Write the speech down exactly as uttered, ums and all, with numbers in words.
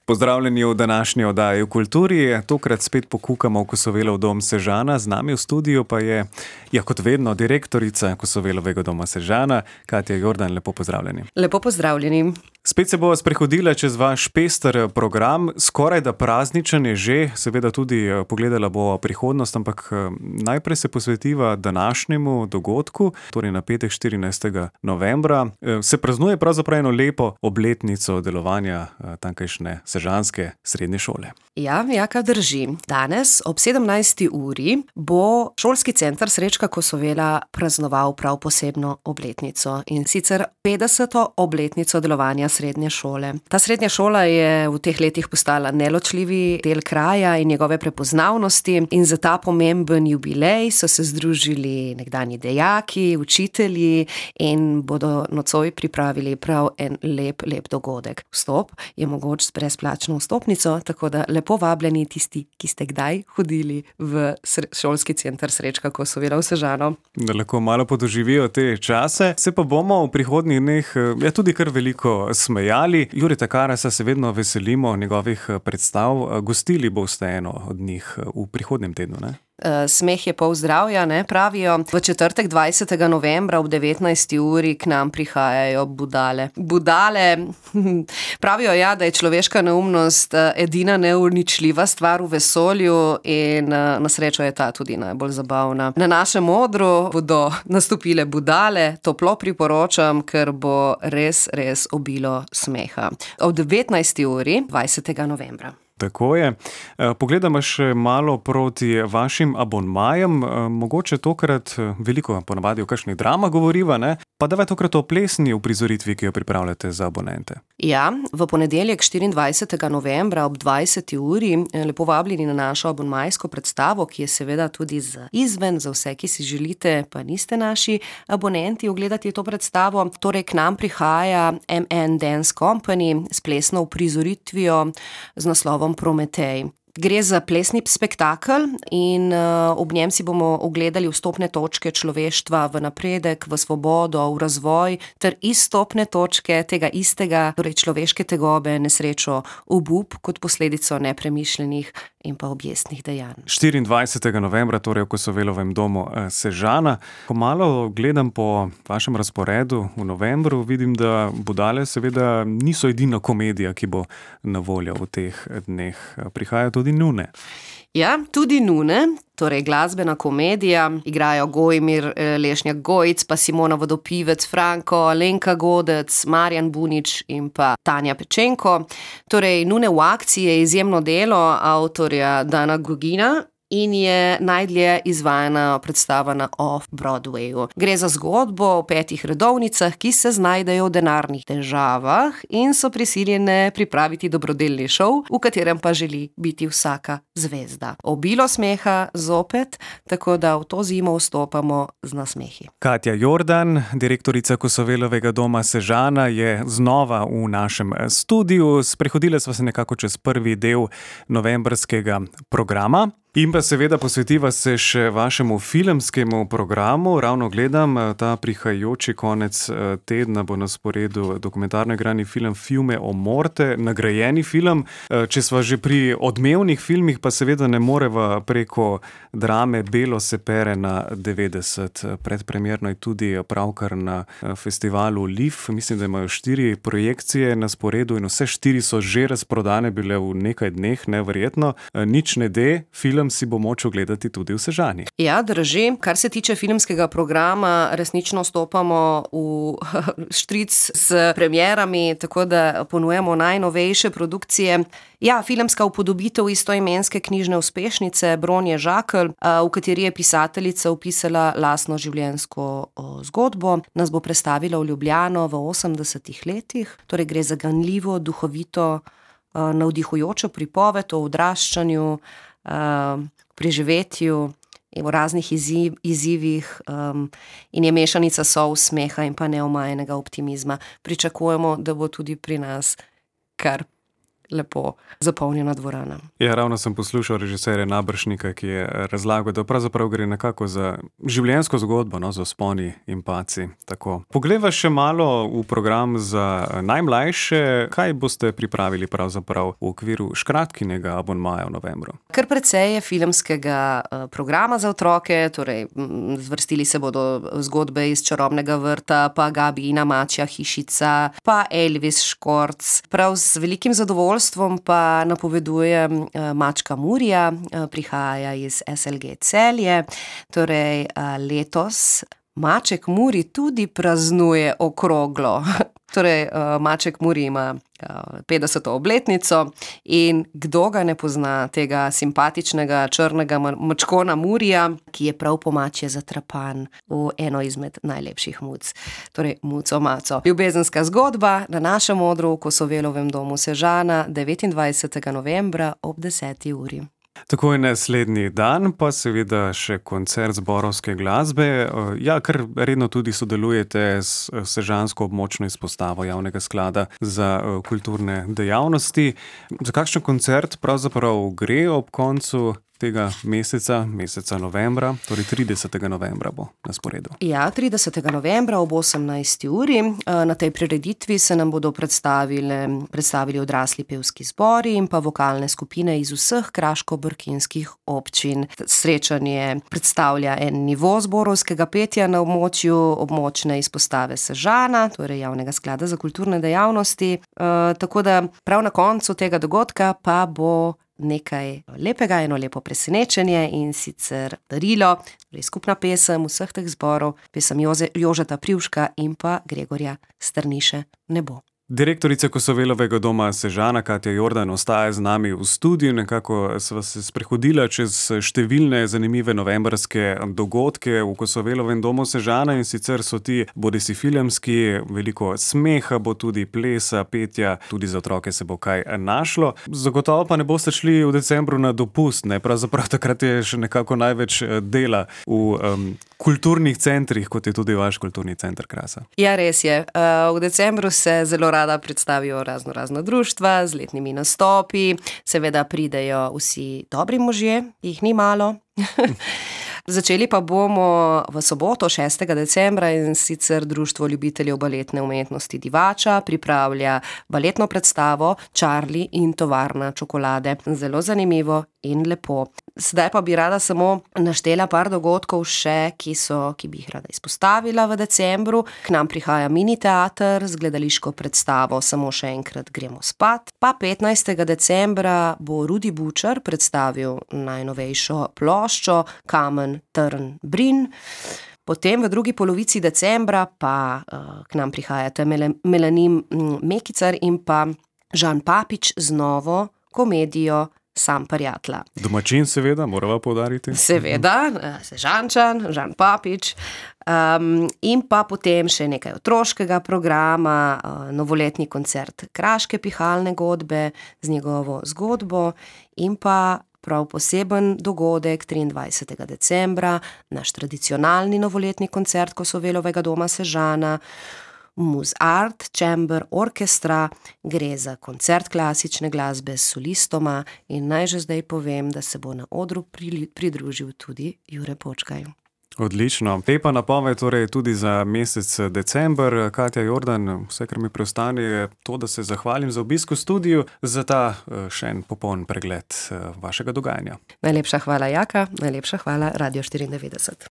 Pozdravljeni v današnji oddaji v kulturi. Tokrat spet pokukamo v Kosovelov dom Sežana. Z nami v studiu pa je, ja, kot vedno, direktorica Kosovelovega doma Sežana, Katja Jordan. Lepo pozdravljeni. Lepo pozdravljeni. Spet se bova sprehodila čez vaš pester program, skoraj da prazničen je že, seveda tudi pogledala bo prihodnost, ampak najprej se posvetiva današnjemu dogodku, torej na petek štirinajstega novembra. Se praznuje pravzaprav eno lepo obletnico delovanja tamkajšnje sežanske srednje šole. Ja, Jaka, drži. Danes ob sedemnajsti uri bo šolski center Srečka Kosovela praznoval prav posebno obletnico, in sicer petdeseto obletnico delovanja srednje šole. Ta srednja šola je v teh letih postala neločljivi del kraja in njegove prepoznavnosti, in za ta pomemben jubilej so se združili nekdanji dejaki, učitelji in bodo nocoj pripravili prav en lep, lep dogodek. Vstop je mogoč s brezplačno vstopnico, tako da lepo vabljeni tisti, ki ste kdaj hodili v šolski center Srečka Kosovela v Sežano. Da lahko malo podoživijo te čase. Se pa bomo v prihodnjih dneh ja, tudi kar veliko smejali. Jureta Karasa se vedno veselimo njegovih predstav. Gostili boste eno od njih v prihodnjem tednu, ne? Smeh je pol zdravja, ne, pravijo. V četrtek dvajsetega novembra ob devetnajsti uri k nam prihajajo budale. Budale, pravijo ja, da je človeška neumnost edina neuničljiva stvar v vesolju in na srečo je ta tudi najbolj zabavna. Na našem odru bodo nastopile budale, toplo priporočam, ker bo res, res obilo smeha. Ob devetnajsti uri dvajsetega novembra. Tako je. Pogledamo še malo proti vašim abonmajem. Mogoče tokrat veliko ponavadi o kakšnih dramah govoriva, ne? Pa davaj tokrat o plesni uprizoritvi, ki jo pripravljate za abonente. Ja, v ponedeljek štiriindvajsetega novembra ob dvajseti uri lepo vabljeni na našo abonmajsko predstavo, ki je seveda tudi z izven za vse, ki si želite, pa niste naši abonenti, ogledati to predstavo. Torej k nam prihaja M N Dance Company s plesno uprizoritvijo z naslovom Prometej. Gre za plesni spektakel in uh, ob njem si bomo ogledali vstopne točke človeštva v napredek, v svobodo, v razvoj ter izstopne točke tega istega, torej človeške tegobe, nesrečo, obup kot posledico nepremišljenih in pa objestnih dejanj. štiriindvajsetega novembra, torej v Kosovelovem domu Sežana. Ko malo gledam po vašem razporedu v novembru, vidim, da budale seveda niso edina komedija, ki bo na voljo v teh dneh. Prihajajo tudi nune. Ja, tudi nune, torej glasbena komedija. Igrajo Gojmir Lešnjak-Gojic, pa Simona Vodopivec, Franko, Alenka Godec, Marjan Bunič in pa Tanja Pečenko. Torej, nune v akciji je izjemno delo avtorja Dana Gugina in je najdlje izvajana predstava na Off-Broadwayu. Gre za zgodbo o petih redovnicah, ki se znajdejo v denarnih težavah in so prisiljene pripraviti dobrodelni šov, v katerem pa želi biti vsaka zvezda. Obilo smeha zopet, tako da v to zimo vstopamo z nasmehi. Katja Jordan, direktorica Kosovelovega doma Sežana, je znova v našem studiu. Sprehodile sva se nekako čez prvi del novembrskega programa. In pa seveda posvetiva se še vašemu filmskemu programu. Ravno gledam, ta prihajajoči konec tedna bo na sporedu dokumentarno igrani film Fiume o morte, nagrajeni film. Če sva že pri odmevnih filmih, pa seveda ne moreva preko drame Belo se pere na devetdeset. Predpremierno je tudi pravkar na festivalu L I F. Mislim, da imajo štiri projekcije na sporedu in vse štiri so že razprodane bile v nekaj dneh, neverjetno. Nič ne de, film si bo moč ogledati tudi v Sežani. Ja, drži. Kar se tiče filmskega programa, resnično stopamo v štric s premierami, tako da ponujemo najnovejše produkcije. Ja, filmska upodobitev istoimenske knjižne uspešnice Bronje Žakelj, v kateri je pisateljica opisala lastno življenjsko zgodbo, nas bo prestavila v Ljubljano v osemdesetih letih. Torej gre za ganljivo, duhovito, navdihujočo pripoved o odraščanju, preživetju in v raznih izziv, izzivih um, in je mešanica solz, smeha in pa neomajenega optimizma. Pričakujemo, da bo tudi pri nas kar lepo zapolnjena dvorana. Ja, ravno sem poslušal režiserja Nabršnika, ki je razlagal, da pravzaprav gre nekako za življenjsko zgodbo, no, z vzponi in padci. Tako. Poglejva še malo v program za najmlajše. Kaj boste pripravili pravzaprav v okviru škratkinega abonmaja v novembru? Kar precej je filmskega programa za otroke, torej zvrstili se bodo zgodbe iz Čarobnega vrta, pa Gabijina mačja hišica, pa Elvis Škorc. Prav z velikim zadovoljstvom pa napovedujem Mačka Murija, prihaja iz S L G Celje. Torej letos Maček Muri tudi praznuje okroglo. Torej Maček Muri ima petdeseto obletnico in kdo ga ne pozna, tega simpatičnega črnega mačkona Murija, ki je prav po mačje zatrapan v eno izmed najlepših muc. Torej Muco Maco. Ljubezenska zgodba na našem odru v Kosovelovem domu Sežana devetindvajsetega novembra ob deseti uri. Takoj naslednji dan pa seveda še koncert zborovske glasbe. Ja, kar redno tudi sodelujete s sežansko območno izpostavo Javnega sklada za kulturne dejavnosti. Za kakšen koncert pravzaprav gre ob koncu tega meseca, meseca novembra, torej tridesetega novembra bo na sporedu? Ja, tridesetega novembra ob osemnajsti uri. Na tej prireditvi se nam bodo predstavili, predstavili odrasli pevski zbori in pa vokalne skupine iz vseh kraško-brkinskih občin. Srečanje predstavlja en nivo zborovskega petja na območju območne izpostave Sežana, torej Javnega sklada za kulturne dejavnosti. E, tako da prav na koncu tega dogodka pa bo nekaj lepega, eno lepo presenečenje in sicer darilo, torej skupna pesem vseh teh zborov, pesem Joze, Jožeta Privška in pa Gregorja Strniše Nebo. Direktorica Kosovelovega doma Sežana Katja Jordan ostaja z nami v studiu. Nekako sva se sprehodila čez številne zanimive novembrske dogodke v Kosovelovem domu Sežana in sicer so ti bodisi filmski, veliko smeha bo tudi, plesa, petja, tudi za otroke se bo kaj našlo. Zagotovo pa ne boste šli v decembru na dopust, ne? Pravzaprav takrat je še nekako največ dela v um, kulturnih centrih, kot je tudi vaš kulturni center Krasa. Ja, res je. Uh, v decembru se zelo rada predstavijo razno razna društva z letnimi nastopi, seveda pridejo vsi dobri možje, jih ni malo. Začeli pa bomo v soboto, šestega decembra, in sicer Društvo ljubiteljev baletne umetnosti Divača pripravlja baletno predstavo Charlie in tovarna čokolade. Zelo zanimivo in lepo. Zdaj pa bi rada samo naštela par dogodkov še, ki so, ki bi jih rada izpostavila v decembru. K nam prihaja mini teater z gledališko predstavo Samo še enkrat gremo spat. Pa petnajstega decembra bo Rudi Bučar predstavil najnovejšo ploščo Kamen, trn, brin. Potem v drugi polovici decembra pa uh, k nam prihajata Melanin Mekicar in pa Žan Papič z novo komedijo Sam prijatla. Domačin seveda, morava poudariti. Seveda, Sežančan, Žan Papič. Um, in pa potem še nekaj otroškega programa, uh, novoletni koncert Kraške pihalne godbe z njegovo zgodbo in pa prav poseben dogodek triindvajsetega decembra, naš tradicionalni novoletni koncert Kosovelovega doma Sežana, Muzart Chamber Orchestra. Gre za koncert klasične glasbe s solistoma in naj že zdaj povem, da se bo na odru pridružil tudi Jure Počkaj. Odlično. Lepa napoved torej tudi za mesec december. Katja Jordan, vse, kar mi preostane, je to, da se zahvalim za obisk v studiu, za ta še en popoln pregled vašega dogajanja. Najlepša hvala, Jaka, najlepša hvala Radio štiriindevetdeset.